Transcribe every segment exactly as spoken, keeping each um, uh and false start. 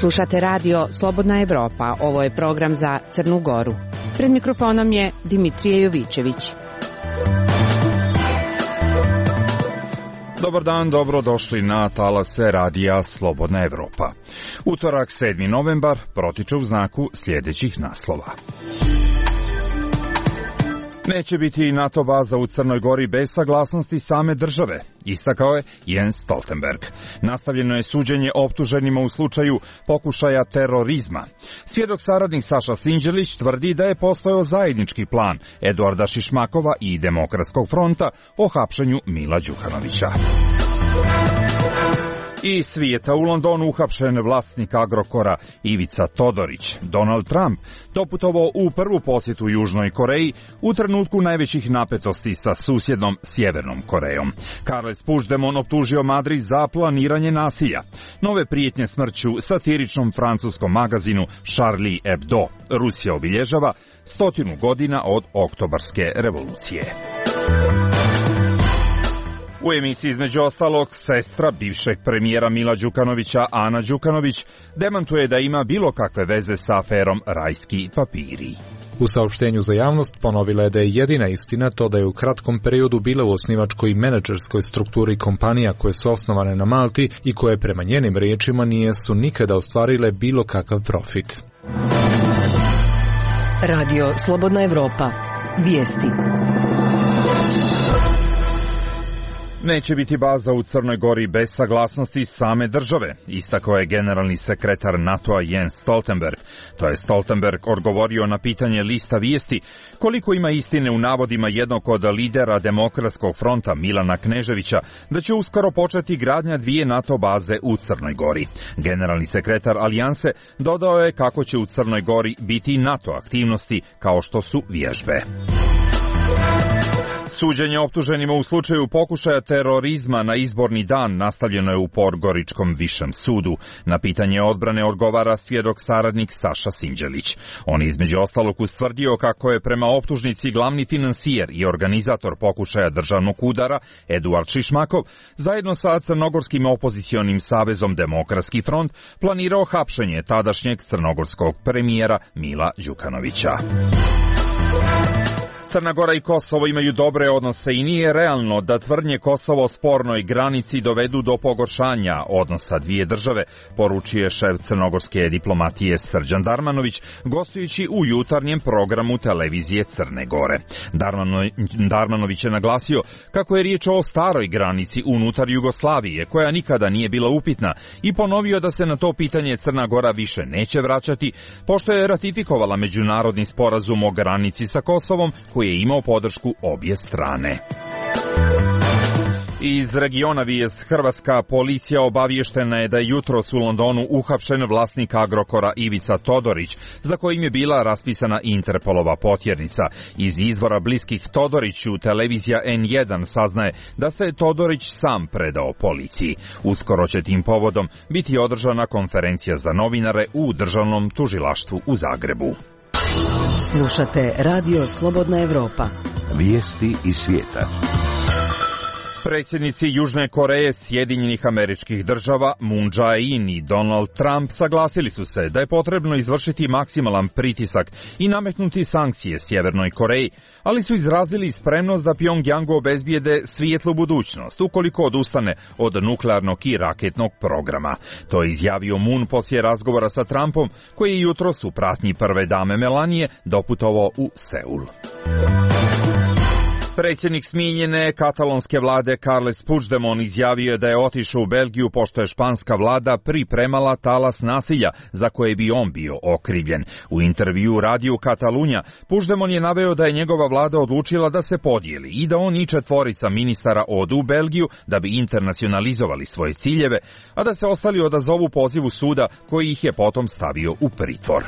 Slušate radio Slobodna Evropa. Ovo je program za Crnu Goru. Pred mikrofonom je Dimitrije Jovićević. Dobar dan, dobrodošli na talase radija Slobodna Evropa. Utorak sedmi novembar protiče u znaku sljedećih naslova. Neće biti NATO baza u Crnoj Gori bez saglasnosti same države, istakao je Jens Stoltenberg. Nastavljeno je suđenje optuženima u slučaju pokušaja terorizma. Svjedok saradnik Saša Sinđelić tvrdi da je postojao zajednički plan Eduarda Šišmakova i Demokratskog fronta o hapšenju Mila Đukanovića. Iz svijeta, u Londonu uhapšen vlasnik Agrokora Ivica Todorić. Donald Trump doputovao u prvu posjetu Južnoj Koreji u trenutku najvećih napetosti sa susjednom Sjevernom Korejom. Carles Puigdemont optužio Madrid za planiranje nasilja. Nove prijetnje smrću satiričnom francuskom magazinu Charlie Hebdo. Rusija obilježava stotinu godina od Oktobarske revolucije. U emisiji između ostalog sestra bivšeg premijera Mila Đukanovića, Ana Đukanović, demantuje da ima bilo kakve veze sa aferom Rajski papiri. U saopštenju za javnost ponovila je da je jedina istina to da je u kratkom periodu bila u osnivačkoj i menadžerskoj strukturi kompanija koje su osnovane na Malti i koje prema njenim riječima nijesu nikada ostvarile bilo kakav profit. Radio Slobodna Evropa. Vijesti. Neće biti baza u Crnoj Gori bez saglasnosti same države, istakao je generalni sekretar NATO-a Jens Stoltenberg. To je Stoltenberg odgovorio na pitanje lista vijesti koliko ima istine u navodima jednog od lidera Demokratskog fronta Milana Kneževića da će uskoro početi gradnja dvije NATO baze u Crnoj Gori. Generalni sekretar Alijanse dodao je kako će u Crnoj Gori biti NATO aktivnosti kao što su vježbe. Suđenje optuženima u slučaju pokušaja terorizma na izborni dan nastavljeno je u Podgoričkom višem sudu. Na pitanje odbrane odgovara svjedok saradnik Saša Sinđelić. On je između ostalog ustvrdio kako je prema optužnici glavni finansijer i organizator pokušaja državnog udara Eduard Šišmakov zajedno sa crnogorskim opozicionim savezom Demokratski front planirao hapšenje tadašnjeg crnogorskog premijera Mila Đukanovića. Crna Gora i Kosovo imaju dobre odnose i nije realno da tvrdnje Kosovo o spornoj granici dovedu do pogoršanja odnosa dvije države, poručuje šef crnogorske diplomatije Srđan Darmanović, gostujući u jutarnjem programu televizije Crne Gore. Darmano, Darmanović je naglasio kako je riječ o staroj granici unutar Jugoslavije, koja nikada nije bila upitna, i ponovio da se na to pitanje Crna Gora više neće vraćati, pošto je ratifikovala međunarodni sporazum o granici sa Kosovom, koji je imao podršku obje strane. Iz regiona vijest, hrvatska policija obaviještena je da je jutros u Londonu uhapšen vlasnik Agrokora Ivica Todorić, za kojim je bila raspisana Interpolova potjernica. Iz izvora bliskih Todoriću televizija en jedan saznaje da se Todorić sam predao policiji. Uskoro će tim povodom biti održana konferencija za novinare u Državnom tužilaštvu u Zagrebu. Slušate Radio Slobodna Evropa. Vijesti iz svijeta. Predsjednici Južne Koreje, Sjedinjenih Američkih Država, Moon Jae-in i Donald Trump saglasili su se da je potrebno izvršiti maksimalan pritisak i nametnuti sankcije Sjevernoj Koreji, ali su izrazili spremnost da Pjongjangu obezbijede svijetlu budućnost ukoliko odustane od nuklearnog i raketnog programa. To je izjavio Moon poslije razgovora sa Trumpom, koji je jutros u pratnji prve dame Melanije doputovao u Seul. Predsjednik smijenjene katalonske vlade Carles Puigdemont izjavio je da je otišao u Belgiju pošto je španska vlada pripremala talas nasilja za koje bi on bio okrivljen. U intervjuu radiju Katalunja Puigdemont je naveo da je njegova vlada odlučila da se podijeli i da on i četvorica ministara odu u Belgiju da bi internacionalizovali svoje ciljeve, a da se ostali odazovu pozivu suda koji ih je potom stavio u pritvor.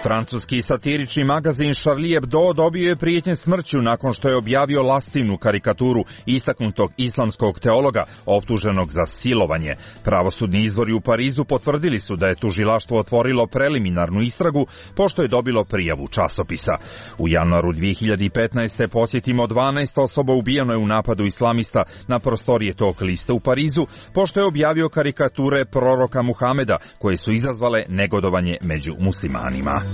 Francuski satirični magazin Charlie Hebdo dobio je prijetnje smrću nakon što je objavio lastivnu karikaturu istaknutog islamskog teologa optuženog za silovanje. Pravosudni izvori u Parizu potvrdili su da je tužilaštvo otvorilo preliminarnu istragu pošto je dobilo prijavu časopisa. U januaru dvije hiljade petnaeste. posjetimo dvanaest osoba ubijeno je u napadu islamista na prostorije tog lista u Parizu pošto je objavio karikature proroka Muhameda koje su izazvale negodovanje među muslimanima.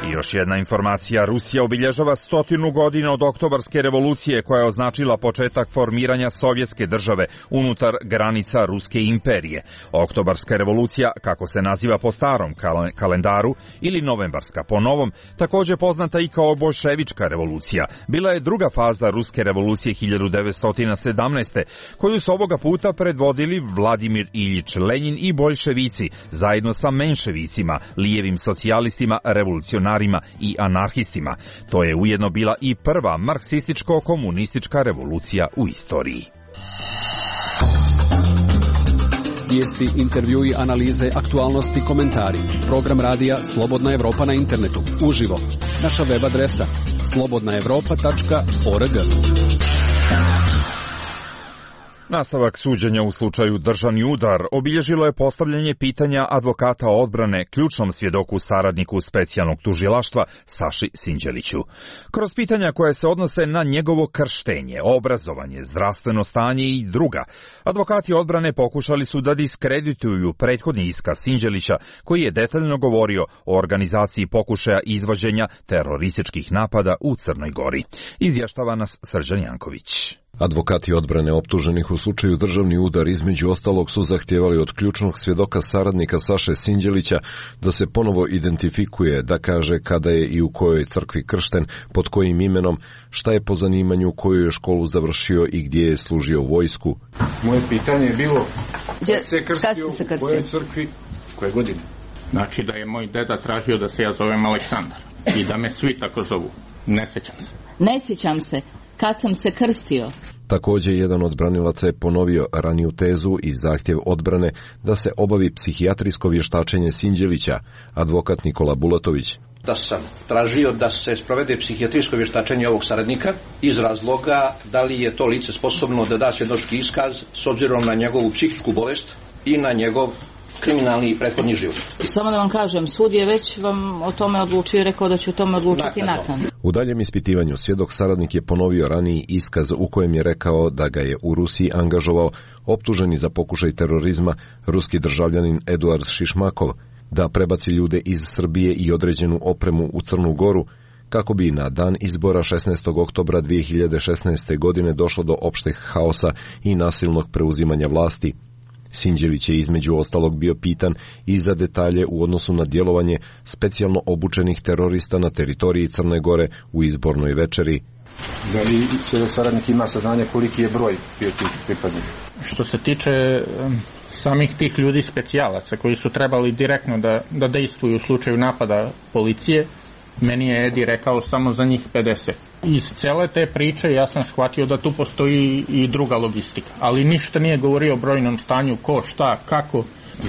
I još jedna informacija, Rusija obilježava stotinu godina od Oktobarske revolucije koja je označila početak formiranja sovjetske države unutar granica Ruske imperije. Oktobarska revolucija, kako se naziva po starom kalendaru, ili novembarska po novom, također poznata i kao boljševička revolucija, bila je druga faza Ruske revolucije hiljadu devetsto sedamnaeste. koju su ovoga puta predvodili Vladimir Iljič Lenin i boljševici, zajedno sa menševicima, lijevim socijalistima, revolucionarima i anarhistima. To je ujedno bila i prva marksističko-komunistička revolucija u istoriji. Vijesti, intervjui, analize, aktualnosti, komentari. Program radija Slobodna Evropa na internetu. Uživo. Naša web adresa slobodna evropa tačka org. Nastavak suđenja u slučaju Državni udar obilježilo je postavljanje pitanja advokata odbrane ključnom svjedoku saradniku specijalnog tužilaštva Saši Sinđeliću. Kroz pitanja koje se odnose na njegovo krštenje, obrazovanje, zdravstveno stanje i druga, advokati odbrane pokušali su da diskredituju prethodni iskaz Sinđelića koji je detaljno govorio o organizaciji pokušaja izvođenja terorističkih napada u Crnoj Gori. Izvještava nas Srđan Janković. Advokati odbrane optuženih u slučaju Državni udar između ostalog su zahtijevali od ključnog svjedoka saradnika Saše Sinđelića da se ponovo identifikuje, da kaže kada je i u kojoj crkvi kršten, pod kojim imenom, šta je po zanimanju, koju je školu završio i gdje je služio vojsku. Moje pitanje je bilo Gdje se krstio u kojoj crkvi, koje godine? Znači da je moj deda tražio da se ja zovem Aleksandar i da me svi tako zovu. Ne sjećam se. Ne sjećam se. Kad sam se krstio. Također, jedan od branilaca je ponovio raniju tezu i zahtjev odbrane da se obavi psihijatrijsko vještačenje Sinđelića, advokat Nikola Bulatović. Da sam tražio da se sprovede psihijatrijsko vještačenje ovog saradnika iz razloga da li je to lice sposobno da da svjedočki iskaz s obzirom na njegovu psihičku bolest i na njegov kriminalni i prethodni život. Samo da vam kažem, sud je već vam o tome odlučio i rekao da će o tome odlučiti naknadno. U daljem ispitivanju svjedok saradnik je ponovio raniji iskaz u kojem je rekao da ga je u Rusiji angažovao optuženi za pokušaj terorizma ruski državljanin Eduard Šišmakov, da prebaci ljude iz Srbije i određenu opremu u Crnu Goru, kako bi na dan izbora šesnaestog oktobra dvije hiljade šesnaeste. godine došlo do opšteg haosa i nasilnog preuzimanja vlasti. Sinđelić je između ostalog bio pitan i za detalje u odnosu na djelovanje specijalno obučenih terorista na teritoriji Crne Gore u izbornoj večeri. Da li svjedok saradnik ima saznanje koliki je broj bio tih pripadnika? Što se tiče um, samih tih ljudi specijalaca koji su trebali direktno da, da dejstvuju u slučaju napada policije, meni je Edi rekao samo za njih pedeset. Iz cele te priče ja sam shvatio da tu postoji i druga logistika, ali ništa nije govorio o brojnom stanju, ko, šta, kako.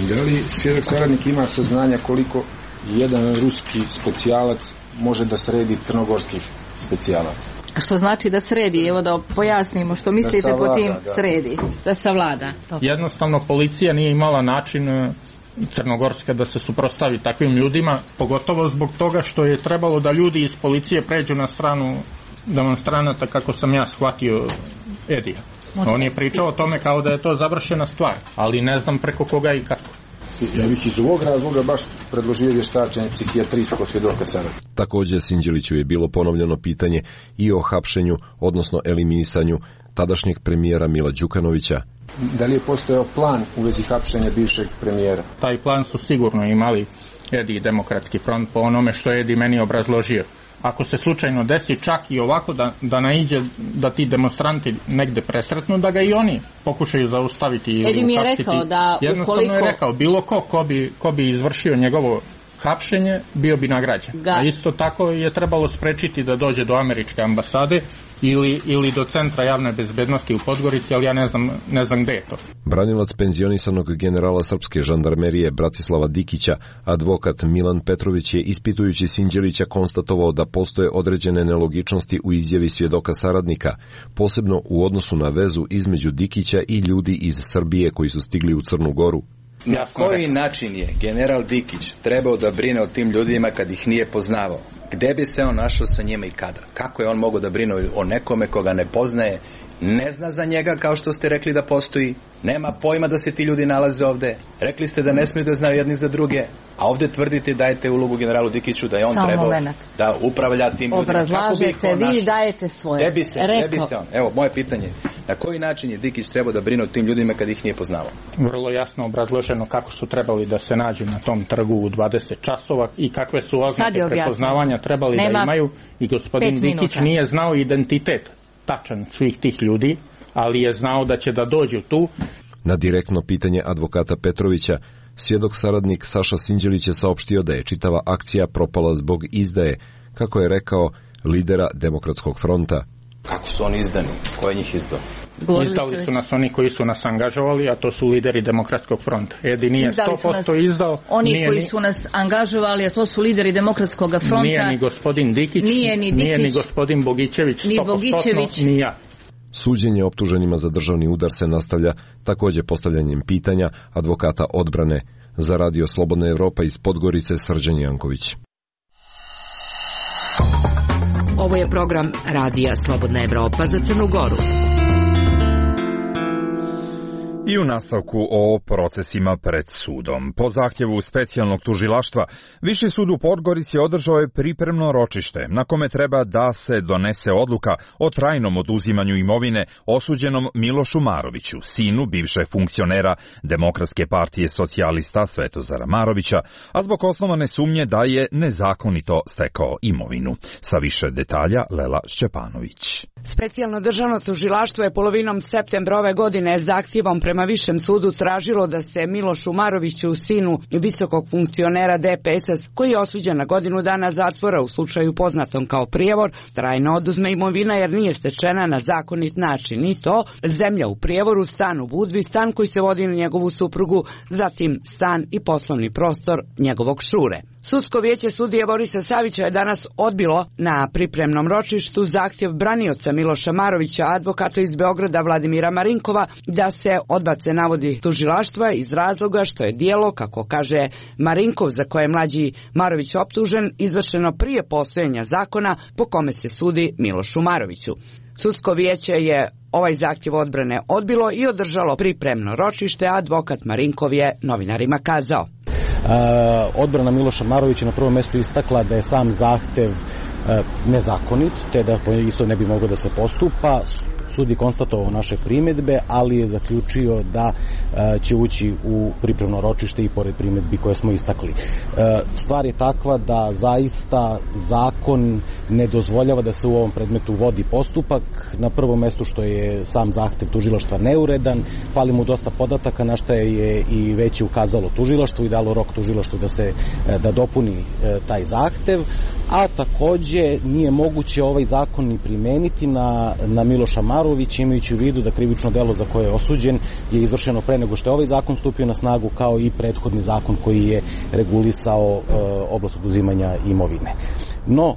Da li svjedok saradnik ima saznanja koliko jedan ruski specijalac može da sredi crnogorskih specijalaca? Što znači da sredi? Evo da pojasnimo što mislite savlada, po tim da. Sredi. Da savlada. Jednostavno policija nije imala način Crnogorska da se suprotstavi takvim ljudima, pogotovo zbog toga što je trebalo da ljudi iz policije pređu na stranu demonstranata, kako sam ja shvatio Edija. On je pričao o tome kao da je to završena stvar, ali ne znam preko koga i kako. Ja bih iz ovog razloga baš predložio vještačenje psihijatrijskog svjedoka sada. Također Sinđeliću je bilo ponovljeno pitanje i o hapšenju, odnosno eliminisanju tadašnjeg premijera Mila Đukanovića. Da li je postojao plan u vezi hapšenja bivšeg premijera? Taj plan su sigurno imali Edi i Demokratski front po onome što je Edi meni obrazložio. Ako se slučajno desi čak i ovako da, da naiđe da ti demonstranti negde presretnu, da ga i oni pokušaju zaustaviti ili Edi mi je rekao da jednostavno ukoliko... je rekao bilo ko ko bi, ko bi izvršio njegovo hapšenje, bio bi nagrađen. Ga. A isto tako je trebalo sprečiti da dođe do američke ambasade ili, ili do centra javne bezbednosti u Podgorici, ali ja ne znam, ne znam gde je to. Branilac penzionisanog generala srpske žandarmerije Bratislava Dikića, advokat Milan Petrović je ispitujući Sinđelića konstatovao da postoje određene nelogičnosti u izjavi svjedoka saradnika, posebno u odnosu na vezu između Dikića i ljudi iz Srbije koji su stigli u Crnu Goru. Na koji način je general Dikić trebao da brine o tim ljudima kad ih nije poznavao? Gde bi se on našao sa njima i kada? Kako je on mogao da brine o nekome koga ne poznaje, ne zna za njega kao što ste rekli da postoji, nema pojma da se ti ljudi nalaze ovde, rekli ste da ne smiju da znaju jedni za druge, a ovde tvrdite dajete ulogu generalu Dikiću da je on Samo trebao moment. da upravlja tim ljudima. Obrazlažete, vi dajete svoje. Gde bi se, gde bi se on? Evo, moje pitanje je, na koji način je Dikić trebao da brine o tim ljudima kad ih nije poznavao? Vrlo jasno obrazloženo kako su trebali da se nađu na tom trgu u dvadeset časova i kakve su oznake prepoznavanja trebali Nema da imaju i gospodin Dikić nije znao identitet tačan svih tih ljudi, ali je znao da će da dođu tu. Na direktno pitanje advokata Petrovića, svjedok saradnik Saša Sinđelić je saopštio da je čitava akcija propala zbog izdaje, kako je rekao, lidera Demokratskog fronta. Kako su oni izdani? Ko je njih izdao? Izdali su nas oni koji su nas angažovali, a to su lideri Demokratskog fronta. Edi nije sto posto izdao. Oni nije koji ni, su nas angažovali, a to su lideri Demokratskog fronta. Nije ni gospodin Dikić, nije ni, Dikić, nije ni gospodin Bogićević, ni Bogićević, ni ja. Suđenje optuženima za državni udar se nastavlja također postavljanjem pitanja advokata odbrane. Za Radio Slobodna Evropa iz Podgorice Srđan Janković. Ovo je program Radija Slobodna Evropa za Crnu Goru. I u nastavku o procesima pred sudom. Po zahtjevu specijalnog tužilaštva, Viši sud u Podgorici održao je pripremno ročište na kome treba da se donese odluka o trajnom oduzimanju imovine osuđenom Milošu Maroviću, sinu bivšeg funkcionera Demokratske partije socijalista Svetozara Marovića, a zbog osnovane sumnje da je nezakonito stekao imovinu. Sa više detalja Lela Šćepanović. Specijalno državno tužilaštvo je polovinom septembra ove godine zahtjevom prema Višem sudu tražilo da se Milošu Maroviću, sinu visokog funkcionera D P S-a, koji je osuđen na godinu dana zatvora u slučaju poznatom kao prijevor, trajno oduzme imovina jer nije stečena na zakonit način, i to zemlja u prijevoru, stan u Budvi, stan koji se vodi na njegovu suprugu, zatim stan i poslovni prostor njegovog šure. Sudsko vijeće sudije Borisa Savića je danas odbilo na pripremnom ročištu zahtjev branioca Miloša Marovića, advokata iz Beograda Vladimira Marinkova, da se odbace navodi tužilaštva iz razloga što je djelo, kako kaže Marinkov, za koje je mlađi Marović optužen, izvršeno prije postojanja zakona po kome se sudi Milošu Maroviću. Sudsko vijeće je ovaj zahtjev odbrane odbilo i održalo pripremno ročište, a advokat Marinkov je novinarima kazao. Uh, odbrana Miloša Marovića na prvom mjestu istakla da je sam zahtev uh, nezakonit, te da isto ne bi moglo da se postupa. Sud je konstatovao naše primjedbe, ali je zaključio da uh, će ući u pripremno ročište i pored primjedbi koje smo istakli. Uh, stvar je takva da zaista zakon ne dozvoljava da se u ovom predmetu vodi postupak. Na prvom mjestu što je sam zahtev tužilaštva neuredan, fali mu dosta podataka, na što je i već ukazalo tužilaštvo i dalo rok tužilaštvu da se da dopuni uh, taj zahtev, a također nije moguće ovaj zakon ni primeniti na, na Miloša Marović, imajući u vidu da krivično delo za koje je osuđen je izvršeno pre nego što je ovaj zakon stupio na snagu, kao i prethodni zakon koji je regulisao e, oblast oduzimanja imovine. No, e,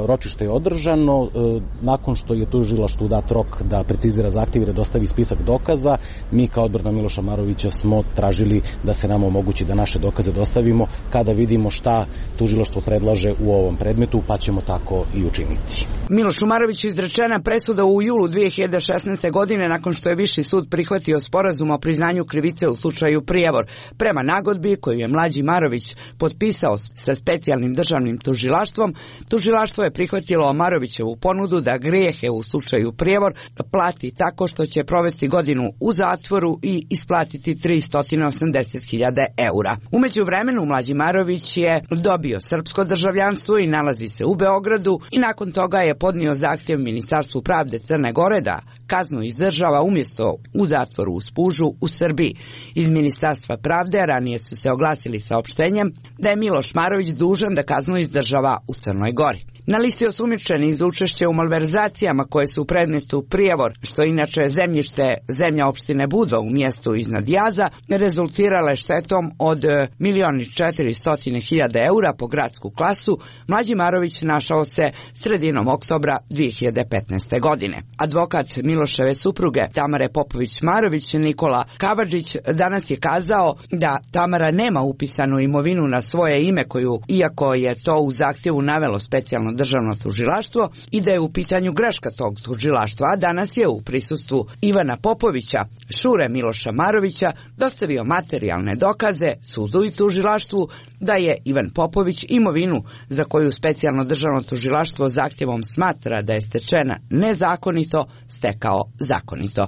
ročište je održano, e, nakon što je tužilaštvu dat rok da precizira zahtjev i da dostavi spisak dokaza, mi kao odbrana Miloša Marovića smo tražili da se nam omogući da naše dokaze dostavimo kada vidimo šta tužilaštvo predlaže u ovom predmetu, pa ćemo tako i učiniti. Milošu Maroviću izrečena presuda u julu dvije hiljade šesnaeste. godine nakon što je Viši sud prihvatio sporazum o priznanju krivice u slučaju prijevor. Prema nagodbi koju je mlađi Marović potpisao sa specijalnim državnim tužilaštvom, tužilaštvo je prihvatilo Marovićevu ponudu da grijehe u slučaju prijevor plati tako što će provesti godinu u zatvoru i isplatiti tristo osamdeset hiljada eura. U međuvremenu mlađi Marović je dobio srpsko državljanstvo i nalazi se u Beogradu i nakon toga je podnio zahtjev Ministarstvu pravde Crne Gore da kaznu izdržava umjesto u zatvoru u Spužu u Srbiji. Iz Ministarstva pravde ranije su se oglasili saopštenjem da je Miloš Marović dužan da kaznu izdržava u Crnoj Gori. Na listi osumnjičenih za učešće u malverzacijama koje su u predmetu Prijevor, što inače zemljište zemlja opštine Budva u mjestu iznad Jaza, rezultirale štetom od milion i četiristotina hiljada eura po gradsku klasu, Mlađi Marović našao se sredinom oktobra dvije hiljade petnaeste. godine. Advokat Miloševe supruge Tamare Popović-Marović, Nikola Kavadžić, danas je kazao da Tamara nema upisanu imovinu na svoje ime koju, iako je to u zahtjevu navelo specijalno državno tužilaštvo, i da je u pitanju greška tog tužilaštva, a danas je u prisustvu Ivana Popovića, šure Miloša Marovića, dostavio materijalne dokaze sudu i tužilaštvu da je Ivan Popović imovinu za koju specijalno državno tužilaštvo zahtjevom smatra da je stečena nezakonito, stekao zakonito.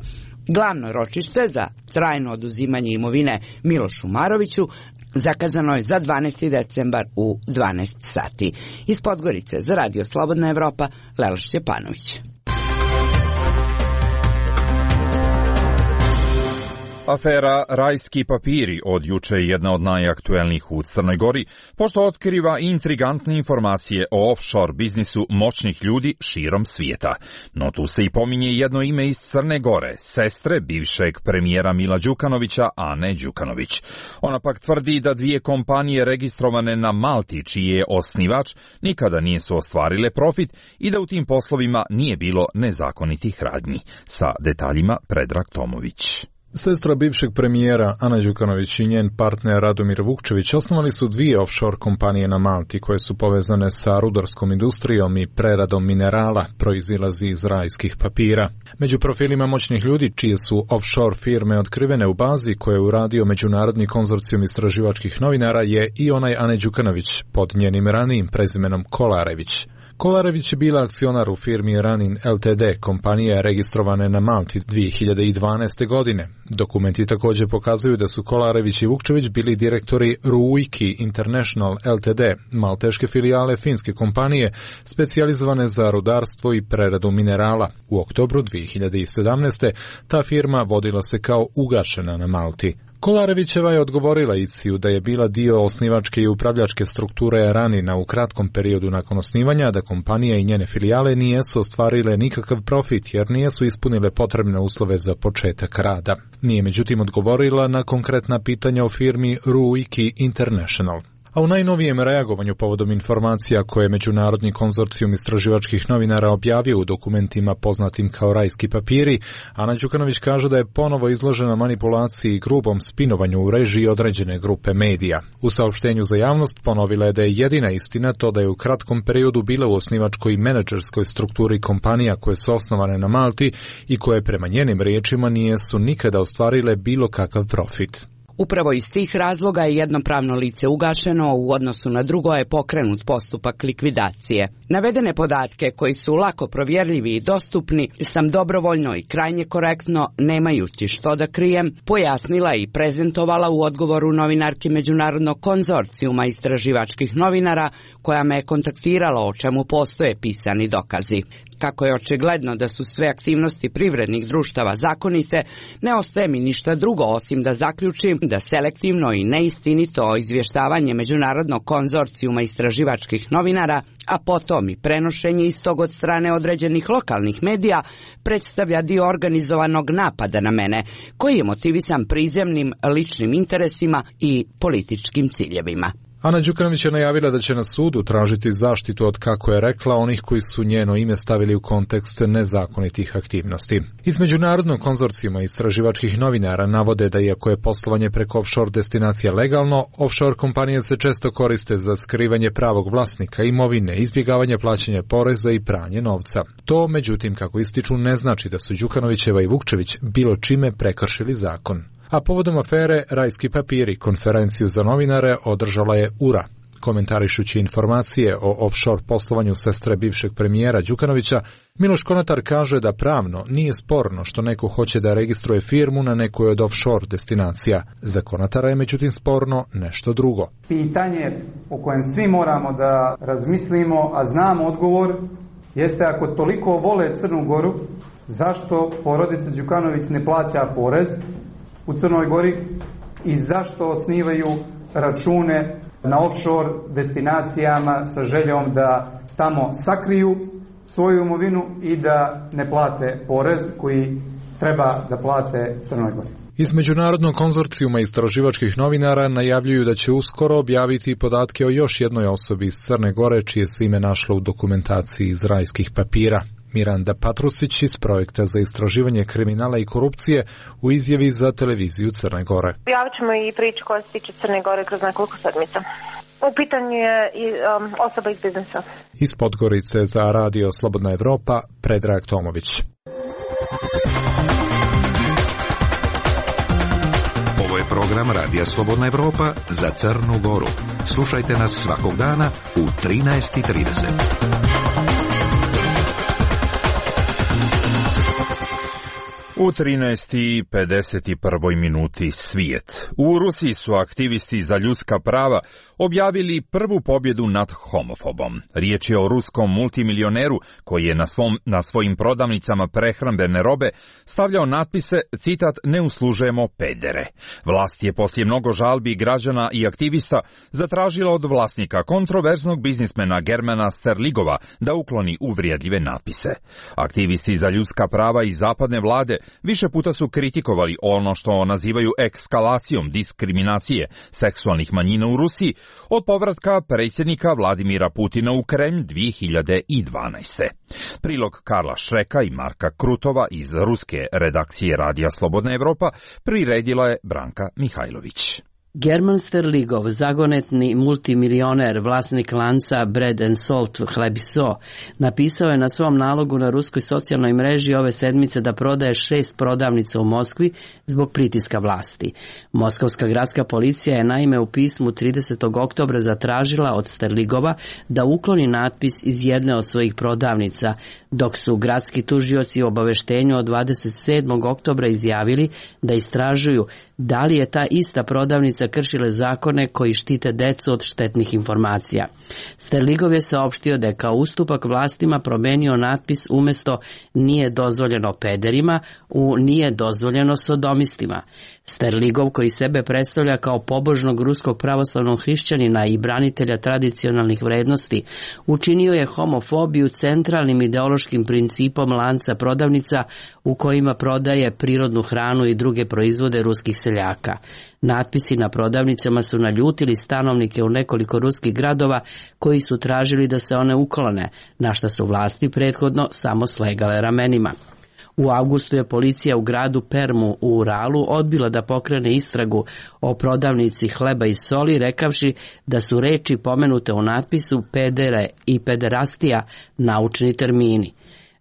Glavno ročište za trajno oduzimanje imovine Milošu Maroviću zakazano je za dvanaesti decembar u dvanaest sati. Iz Podgorice za Radio Slobodna Evropa, Lela Šćepanović. Afera Rajski papiri od juče je jedna od najaktuelnijih u Crnoj Gori, pošto otkriva intrigantne informacije o offshore biznisu moćnih ljudi širom svijeta. No tu se i pominje jedno ime iz Crne Gore, sestre bivšeg premijera Mila Đukanovića, Ane Đukanović. Ona pak tvrdi da dvije kompanije registrovane na Malti, čiji je osnivač, nikada nisu ostvarile profit i da u tim poslovima nije bilo nezakonitih radnji. Sa detaljima Predrag Tomović. Sestra bivšeg premijera Ana Đukanović i njen partner Radomir Vukčević osnovali su dvije offshore kompanije na Malti koje su povezane sa rudarskom industrijom i preradom minerala, proizilazi iz rajskih papira. Među profilima moćnih ljudi čije su offshore firme otkrivene u bazi koje je uradio Međunarodni konzorcijum istraživačkih novinara je i onaj Ane Đukanović pod njenim ranijim prezimenom Kolarević. Kolarević je bila akcionar u firmi Ranin L T D, kompanija je registrovane na Malti dvije hiljade dvanaeste. godine. Dokumenti također pokazuju da su Kolarević i Vukčević bili direktori Ruiki International L T D, malteške filijale finske kompanije, specijalizovane za rudarstvo i preradu minerala. U oktobru dvije hiljade sedamnaeste. ta firma vodila se kao ugašena na Malti. Kolarevićeva je odgovorila I C I-u da je bila dio osnivačke i upravljačke strukture Ranina u kratkom periodu nakon osnivanja, da kompanija i njene filijale nijesu ostvarile nikakav profit jer nijesu ispunile potrebne uslove za početak rada. Nije međutim odgovorila na konkretna pitanja o firmi Ruiki International. A u najnovijem reagovanju povodom informacija koje je Međunarodni konzorcijum istraživačkih novinara objavio u dokumentima poznatim kao Rajski papiri, Ana Đukanović kaže da je ponovo izložena manipulaciji i grubom spinovanju u režiji određene grupe medija. U saopštenju za javnost ponovila je da je jedina istina to da je u kratkom periodu bila u osnivačkoj i menadžerskoj strukturi kompanija koje su osnovane na Malti i koje prema njenim riječima nijesu nikada ostvarile bilo kakav profit. Upravo iz tih razloga je jedno pravno lice ugašeno, u odnosu na drugo je pokrenut postupak likvidacije. Navedene podatke, koji su lako provjerljivi i dostupni, sam dobrovoljno i krajnje korektno, nemajući što da krijem, pojasnila i prezentovala u odgovoru novinarki Međunarodnog konzorcijuma istraživačkih novinara, koja me je kontaktirala, o čemu postoje pisani dokazi. Kako je očigledno da su sve aktivnosti privrednih društava zakonite, ne ostaje mi ništa drugo osim da zaključim da selektivno i neistinito izvještavanje Međunarodnog konzorcijuma istraživačkih novinara, a potom i prenošenje istog od strane određenih lokalnih medija, predstavlja dio organizovanog napada na mene, koji je motivisan prizemnim ličnim interesima i političkim ciljevima. Ana Đukanović je najavila da će na sudu tražiti zaštitu od, kako je rekla, onih koji su njeno ime stavili u kontekst nezakonitih aktivnosti. Iz Međunarodnog konzorcijuma istraživačkih novinara navode da iako je poslovanje preko offshore destinacija legalno, offshore kompanije se često koriste za skrivanje pravog vlasnika imovine, izbjegavanje plaćanja poreza i pranje novca. To, međutim, kako ističu, ne znači da su Đukanovićeva i Vukčević bilo čime prekršili zakon. A povodom afere Rajski papiri konferenciju za novinare održala je U R A. Komentarišući informacije o offshore poslovanju sestre bivšeg premijera Đukanovića, Miloš Konatar kaže da pravno nije sporno što neko hoće da registruje firmu na nekoj od offshore destinacija. Za Konatara je međutim sporno nešto drugo. Pitanje o kojem svi moramo da razmislimo, a znamo odgovor, jeste ako toliko vole Crnu Goru, zašto porodica Đukanović ne plaća porez u Crnoj Gori i zašto osnivaju račune na offshore destinacijama sa željom da tamo sakriju svoju imovinu i da ne plate porez koji treba da plate Crnoj Gori. Iz Međunarodnog konzorcijuma istraživačkih novinara najavljuju da će uskoro objaviti podatke o još jednoj osobi iz Crne Gore čije se ime našlo u dokumentaciji iz rajskih papira. Miranda Patrusić iz Projekta za istraživanje kriminala i korupcije u izjavi za televiziju Crne Gore. Objavit ćemo i priču koja se tiče Crne Gore kroz nekoliko sedmica. U pitanju je i um, osoba iz biznisa. Iz Podgorice za Radio Slobodna Evropa, Predrag Tomović. Ovo je program Radija Slobodna Evropa za Crnu Goru. Slušajte nas svakog dana u trinaest i trideset. U trinaest i pedeset prvoj minuti svijet. U Rusiji su aktivisti za ljudska prava objavili prvu pobjedu nad homofobom. Riječ je o ruskom multimilioneru koji je na, svom, na svojim prodavnicama prehrambene robe stavljao natpise, citat, ne uslužujemo pedere. Vlast je poslije mnogo žalbi građana i aktivista zatražila od vlasnika kontroverznog biznismena Germana Sterligova da ukloni uvrijedljive natpise. Aktivisti za ljudska prava i zapadne vlade više puta su kritikovali ono što nazivaju ekskalacijom diskriminacije seksualnih manjina u Rusiji od povratka predsjednika Vladimira Putina u Kremlj dvije hiljade dvanaeste. Prilog Karla Šreka i Marka Krutova iz ruske redakcije Radija Slobodna Evropa priredila je Branka Mihajlović. German Sterligov, zagonetni multimilioner, vlasnik lanca Bread and Salt Hleb i so, napisao je na svom nalogu na ruskoj socijalnoj mreži ove sedmice da prodaje šest prodavnica u Moskvi zbog pritiska vlasti. Moskovska gradska policija je naime u pismu tridesetog oktobra zatražila od Sterligova da ukloni natpis iz jedne od svojih prodavnica, dok su gradski tužioci u obaveštenju od dvadeset sedmog oktobra izjavili da istražuju da li je ta ista prodavnica kršile zakone koji štite decu od štetnih informacija. Sterligov je saopštio da je kao ustupak vlastima promenio natpis umjesto nije dozvoljeno pederima u nije dozvoljeno sodomistima. Sterligov, koji sebe predstavlja kao pobožnog ruskog pravoslavnog hrišćanina i branitelja tradicionalnih vrednosti, učinio je homofobiju centralnim ideološkim principom lanca prodavnica u kojima prodaje prirodnu hranu i druge proizvode ruskih seljaka. Natpisi na prodavnicama su naljutili stanovnike u nekoliko ruskih gradova koji su tražili da se one uklone, na što su vlasti prethodno samo slegale ramenima. U avgustu je policija u gradu Permu u Uralu odbila da pokrene istragu o prodavnici hleba i soli, rekavši da su reči pomenute u natpisu pedere i pederastija naučni termini.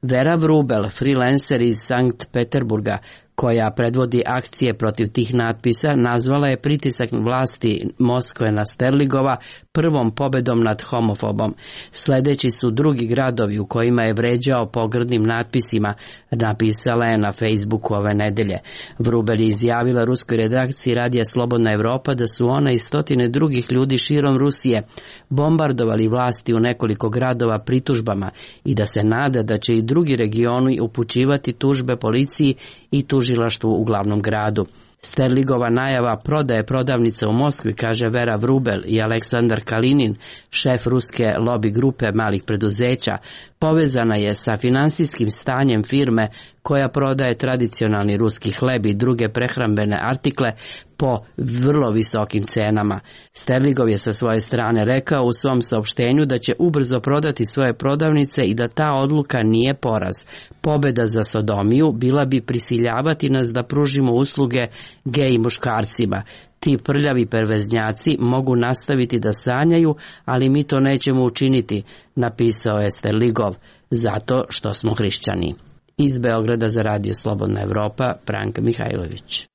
Vera Vrubel, freelancer iz Sankt Peterburga, koja predvodi akcije protiv tih natpisa, nazvala je pritisak vlasti Moskve na Sterligova prvom pobedom nad homofobom. Sljedeći su drugi gradovi u kojima je vređao pogrdnim natpisima, napisala je na Facebooku ove nedelje. Vrubel je izjavila ruskoj redakciji Radija Slobodna Evropa da su ona i stotine drugih ljudi širom Rusije bombardovali vlasti u nekoliko gradova pritužbama i da se nada da će i drugi regioni upućivati tužbe policiji i tužilaštvu u glavnom gradu. Sterligova najava prodaje prodavnice u Moskvi, kaže Vera Vrubel i Aleksandar Kalinin, šef ruske lobby grupe malih preduzeća, povezana je sa finansijskim stanjem firme koja prodaje tradicionalni ruski hleb i druge prehrambene artikle po vrlo visokim cenama. Sterligov je sa svoje strane rekao u svom saopštenju da će ubrzo prodati svoje prodavnice i da ta odluka nije poraz. Pobjeda za sodomiju bila bi prisiljavati nas da pružimo usluge gej muškarcima. Ti prljavi perveznjaci mogu nastaviti da sanjaju, ali mi to nećemo učiniti, napisao je Sterligov, zato što smo hrišćani. Iz Beograda za Radio Slobodna Evropa, Branka Mihajlović.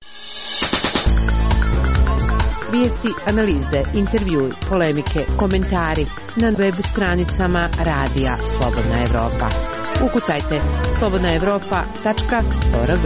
Vijesti, analize, intervjui, polemike, komentari na web stranicama Radija Slobodna Evropa. Ukucajte slobodna evropa tačka org.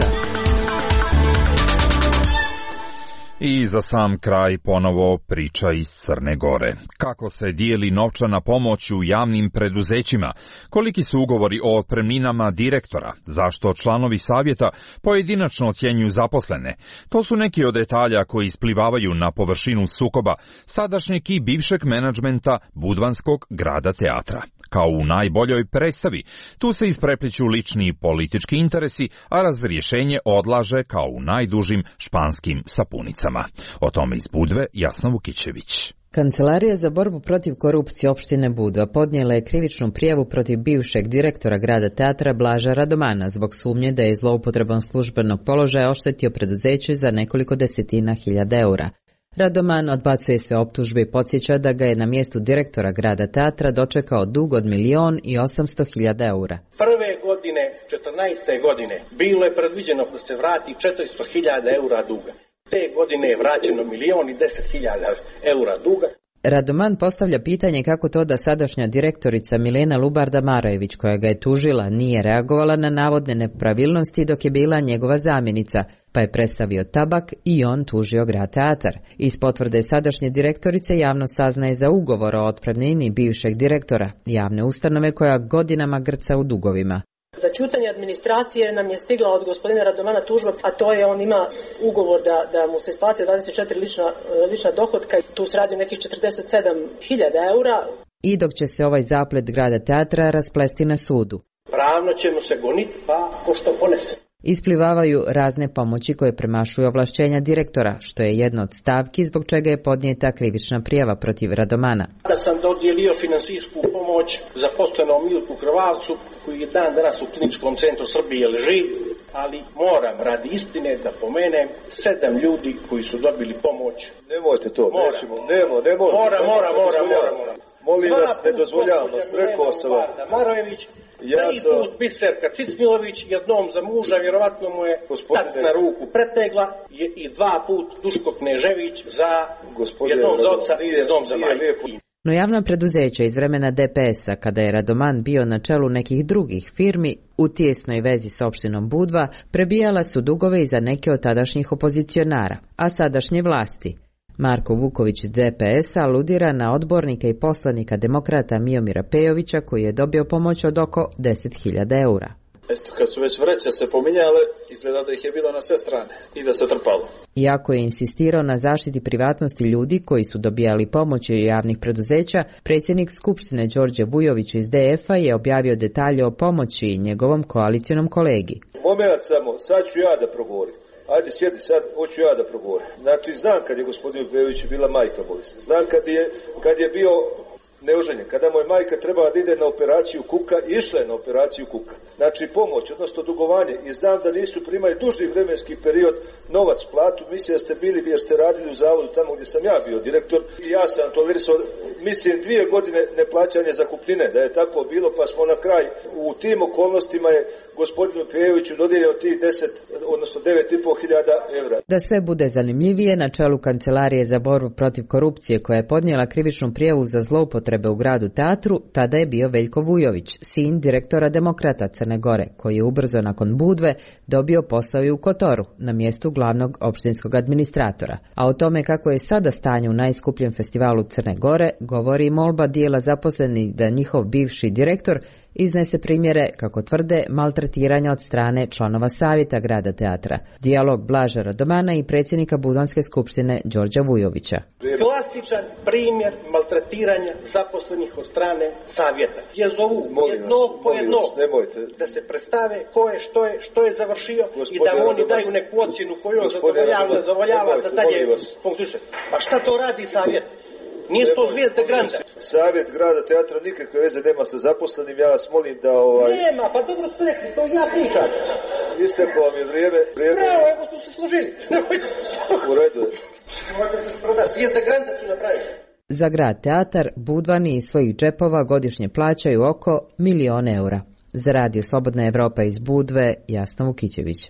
I za sam kraj ponovo priča iz Crne Gore. Kako se dijeli novčana pomoć u javnim preduzećima? Koliki su ugovori o otpremninama direktora? Zašto članovi savjeta pojedinačno ocjenjuju zaposlene? To su neki od detalja koji isplivavaju na površinu sukoba sadašnjeg i bivšeg menadžmenta Budvanskog grada teatra. Kao u najboljoj predstavi, tu se isprepliću lični i politički interesi, a razrješenje odlaže kao u najdužim španskim sapunicama. O tome iz Budve Jasna Vukićević. Kancelarija za borbu protiv korupcije opštine Budva podnijela je krivičnu prijavu protiv bivšeg direktora grada teatra Blaža Radomana zbog sumnje da je zloupotrebom službenog položaja oštetio preduzeće za nekoliko desetina hiljada eura. Radoman odbacuje sve optužbe i podsjeća da ga je na mjestu direktora grada teatra dočekao dug od milion i osamsto hiljada eura. Prve godine, četrnaeste godine, bilo je predviđeno da se vrati četiristo hiljada eura duga. Te godine je vraćeno milion i deset hiljada eura duga. Radoman postavlja pitanje kako to da sadašnja direktorica Milena Lubarda Marajević, koja ga je tužila, nije reagovala na navodne nepravilnosti dok je bila njegova zamjenica, pa je predstavio tabak i on tužio grad teatar. Iz potvrde sadašnje direktorice javnost saznaje za ugovor o otpremnini bivšeg direktora javne ustanove koja godinama grca u dugovima. Za ćutanje administracije nam je stigla od gospodina Radomana tužba, a to je on ima ugovor da, da mu se isplati dvadeset četiri lična, lična dohotka i tu se radi nekih četrdeset sedam hiljada eura. I dok će se ovaj zaplet grada teatra rasplesti na sudu. Pravno ćemo se goniti pa ko što ponese. Isplivavaju razne pomoći koje premašuju ovlašćenja direktora, što je jedna od stavki zbog čega je podnijeta krivična prijava protiv Radomana. Da sam dodijelio finansijsku pomoć zaposlenom Milku Krvavcu, koji je dan danas u kliničkom centru Srbije leži, ali moram radi istine da pomenem sedam ljudi koji su dobili pomoć. Nemojte to, mora. nećemo, nemo, ne možemo. Mora, mora, mora, mora, mora. Molim vas, ne dozvoljavamo, rekao sam vam. Marojević, Ja tri sam... put Biserka Cicmilović, jednom za muža, vjerovatno mu je Gospodine... tac na ruku pretegla i dva put Duško Knežević za Gospodine... jednom za oca i jednom za majku. No javna preduzeća iz vremena de pe es-a, kada je Radoman bio na čelu nekih drugih firmi, u tijesnoj vezi s opštinom Budva, prebijala su dugove i za neke od tadašnjih opozicionara, a sadašnje vlasti. Marko Vuković iz de pe es-a aludira na odbornika i poslanika demokrata Miomira Pejovića koji je dobio pomoć od oko deset hiljada eura. Eto, kad su već vreće se pominjale, izgleda da ih je bilo na sve strane i da se trpalo. Iako je insistirao na zaštiti privatnosti ljudi koji su dobijali pomoć od javnih preduzeća, predsjednik Skupštine Đorđe Vujović iz de ef-a je objavio detalje o pomoći njegovom koalicijonom kolegi. Moment samo, sad ću ja da progovorim. Ajde sjedi sad, hoću ja da progovorim. Znači, znam kad je gospodinu Pejoviću bila majka bolesna. Znam kad je, kad je bio neoženjen. Kada mu je majka trebala da ide na operaciju kuka, išla je na operaciju kuka. Znači, pomoć, odnosno dugovanje. I znam da nisu primali duži vremenski period novac, platu. Mislim da ste bili, jer ste radili u zavodu tamo gdje sam ja bio direktor. I ja sam tolerisao, mislim, dvije godine neplaćanje zakupnine, da je tako bilo, pa smo na kraj u tim okolnostima je gospodinu Pejoviću dodijelio tih deset, odnosno devet i pol hiljada evra. Da sve bude zanimljivije, na čelu Kancelarije za borbu protiv korupcije koja je podnijela krivičnu prijavu za zloupotrebe u gradu teatru, tada je bio Veljko Vujović, sin direktora Demokrata Crne Gore, koji je ubrzo nakon Budve dobio posao i u Kotoru, na mjestu glavnog opštinskog administratora. A o tome kako je sada stanje u najskupljem festivalu Crne Gore, govori molba dijela zaposlenih da njihov bivši direktor iznese primjere, kako tvrde, maltretiranja od strane članova savjeta grada teatra. Dijalog Blaža Radomana i predsjednika Budvanske skupštine Đorđa Vujovića. Klasičan primjer maltretiranja zaposlenih od strane savjeta. Je zovu jednog po jednog da se predstave ko je, što je, što je završio i da oni daju neku ocjenu koju on zadovoljava, zadovoljava za dalje funkciju. Pa šta to radi savjet? Nije to zvijezde granda. Savjet grada teatra nikakve veze nema sa zaposlenim, ja vas molim da ovaj... Nema, pa dobro ste rekli, to ja pričam. Isteklo vam je vrijeme. vrijeme... Bravo, evo što se složili. U redu je. Možete se prodati, zvijezde granda su napravili. Za grad teatar Budvani iz svojih džepova godišnje plaćaju oko milion eura. Za radio Slobodna Evropa iz Budve, Jasna Vukićević.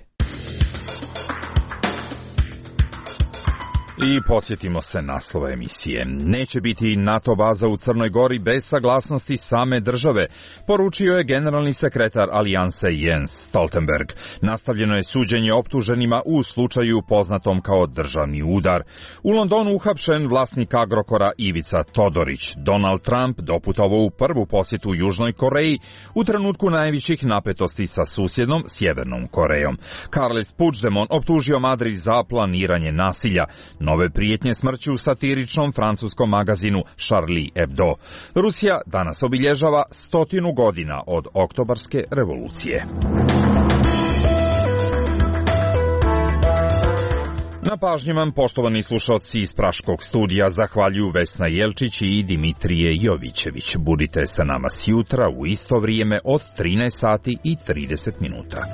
I podsjetimo se naslova emisije. Neće biti NATO baza u Crnoj Gori bez saglasnosti same države, poručio je generalni sekretar Alijanse Jens Stoltenberg. Nastavljeno je suđenje optuženima u slučaju poznatom kao državni udar. U Londonu uhapšen vlasnik Agrokora Ivica Todorić. Donald Trump doputovao u prvu posjetu Južnoj Koreji u trenutku najvećih napetosti sa susjednom Sjevernom Korejom. Carles Puigdemont optužio Madrid za planiranje nasilja. Nove prijetnje smrću u satiričnom francuskom magazinu Charlie Hebdo. Rusija danas obilježava stotinu godina od oktobarske revolucije. Na pažnji vam, poštovani slušalci iz Praškog studija, zahvaljuju Vesna Jelčić i Dimitrije Jovićević. Budite sa nama sjutra u isto vrijeme od trinaest sati i trideset minuta.